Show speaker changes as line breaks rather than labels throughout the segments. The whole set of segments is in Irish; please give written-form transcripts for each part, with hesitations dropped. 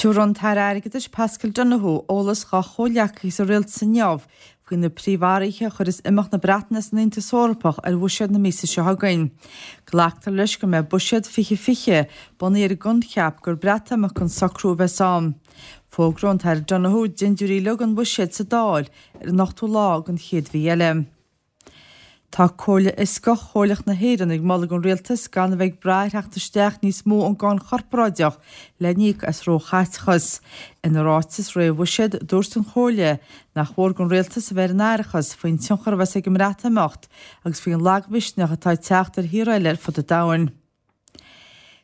Tabharfaidh an tAire Airgeadais Paschal Donohoe eolas dá chomhghleacaithe sa rialtas inniu faoi na príomhathruithe a chuirfeas imeacht na Breataine as an Aontas Eorpach ar bhuiséad na míosa seo chugainn. Glactar leis go mbeidh Buiséad 2020 bunaithe ar an gcoincheap gur Breatimeacht gan socrú a bheas ann. Fógróidh an tAire Donohoe dintiúirí uilig an bhuiséid sa Dáil ar an ochtú lá den chéad mhí eile. Tá Comhairle Fhioscach Chomhairleach na hÉireann ag moladh don Rialtas gan a bheith ag brath ar theacht isteach níos mó ón gcáin chorparáideach le n-íoc as róchaiteachas. Ina ráiteas réamh-bhuiséid, dúirt an Chomhairle nach mhór don Rialtas a bheith ar an aireachas faoin tionchar a bheas ag an mBreatimeacht agus faoin lagmhisneach atá ag teacht ar thíortha eile ar fud an domhain.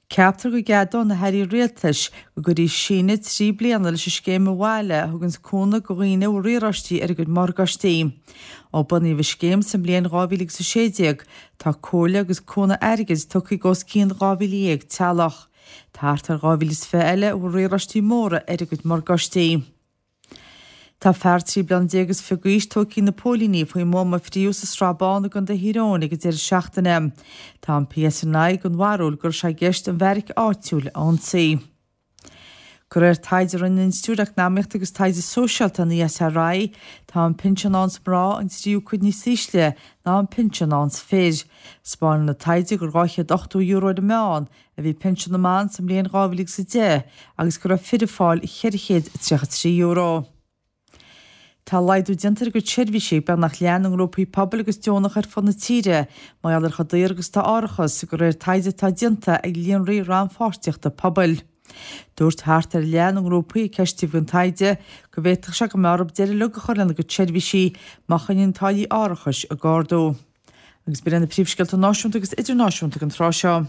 Ceaptar go gceadóidh na hairí rialtais go gcuirfí síneadh 3 bliana leis an scéim Abhaile a thuganns cúnamh do dhaoine a bhfuil riaráistí ar a gcuid morgáistí. Ó bunaíodh an scéim sa mbliain 2016, tá comhairle agus cúnamh airgid tugtha ag os cionn 12,000 teaghlach. Tá thart ar 2,020 eile a bhfuil riaráistí móra ar a gcuid morgáistí. Tá fear 13 bliana is fiche d'aois tógtha ag na póilíní faoin mbuama a fríodh sa Srath Bán i gContae Thír Eoghain ag an deireadh seachtaine. Tá an PSNI den bharúil go raibh sé i gceist an bheairic áitiúil a ionsaí. De réir taighde a rinne an Institiúid Eacnamaíochta agus Taighde Sóisialta, an ESRI, tá an pinsean a fhaigheanns mná an tríú cuid níos ísle ná an pinsean a fhaigheanns fir. 'Spáineann an taighde gur €280 ar an meán a bhí pinsean na mban sa mbliain 2010 agus go raibh fir ag fáil €433. Tá laghdú déanta ar a gcuid seirbhísí ag beagnach leath na ngrúpaí pobail agus deonach ar fud na tíre mar gheall ar chomh daor agus atá árachas, de réir taighde atá déanta ag Líonraí Rannpháirtíochta Pobail. Dúirt thart ar leath na ngrúpaí a ceistíodh don taighde go bhféadfadh sé go mbeadh orthu deireadh uilig a chur lena gcuid seirbhísí má choinníonn táillí árachais ag ardú. Agus b'in iad na príomhscéalta náisiúnta agus idirnáisiúnta ag an tráth seo.